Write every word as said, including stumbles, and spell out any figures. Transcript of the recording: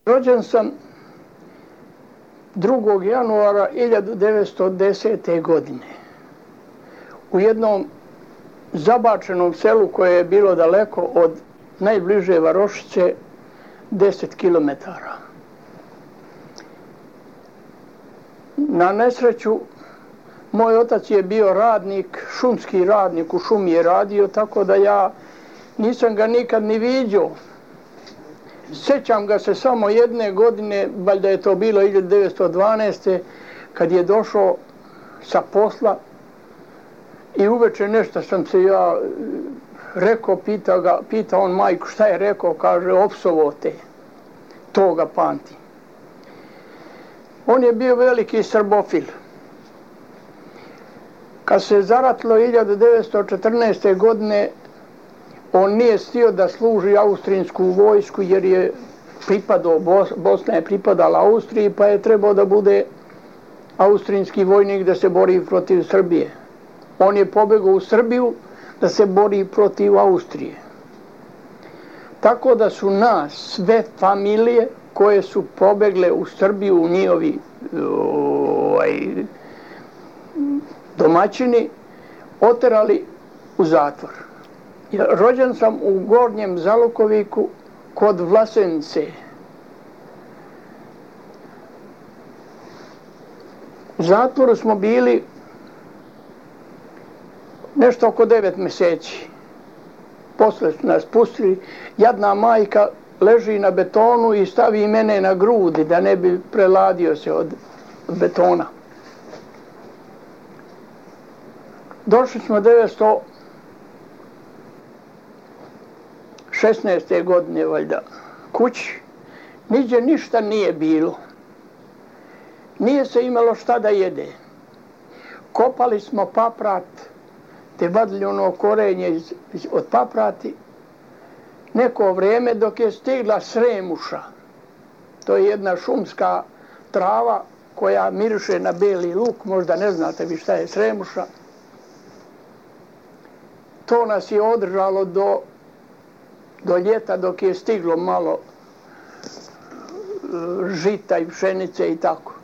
Rođen sam drugog januara hiljadu devetsto desete. godine u jednom zabačenom selu koje je bilo daleko od najbliže varošice deset kilometara. Na nesreću, moj otac je bio radnik, šumski radnik, u šumi je radio, tako da ja nisam ga nikad ni viđao. Sjećam ga se samo jedne godine, valjda je to bilo hiljadu devetsto dvanaeste. kad je došao sa posla i uveče nešto sam se ja rekao, pitao ga, pitao on majku šta je rekao, kaže opsovo te, to ga pamti. On je bio veliki srbofil. Kad se zaratilo hiljadu devetsto četrnaeste. godine, on nije stio da služi austrijsku vojsku jer je pripadao, Bosna je pripadala Austriji, pa je trebao da bude austrijski vojnik da se bori protiv Srbije. On je pobegao u Srbiju da se bori protiv Austrije. Tako da su nas sve familije koje su pobegle u Srbiju, u njihovi ovaj, domaćini, oterali u zatvor. Rođen sam u Gornjem Zalukoviku kod Vlasenice. U zatvoru smo bili nešto oko devet mjeseci. Posle su nas pustili. Jadna majka leži na betonu i stavi mene na grudi da ne bi preladio se od betona. Došli smo devetsto šesnaeste. godine valjda kući. Niđe ništa nije bilo. Nije se imalo šta da jede. Kopali smo paprat, te vadili ono korenje iz, iz, od paprati. Neko vrijeme dok je stigla sremuša. To je jedna šumska trava koja miriše na beli luk. Možda ne znate vi šta je sremuša. To nas je održalo do, do ljeta dok je stiglo malo žita i pšenice i tako.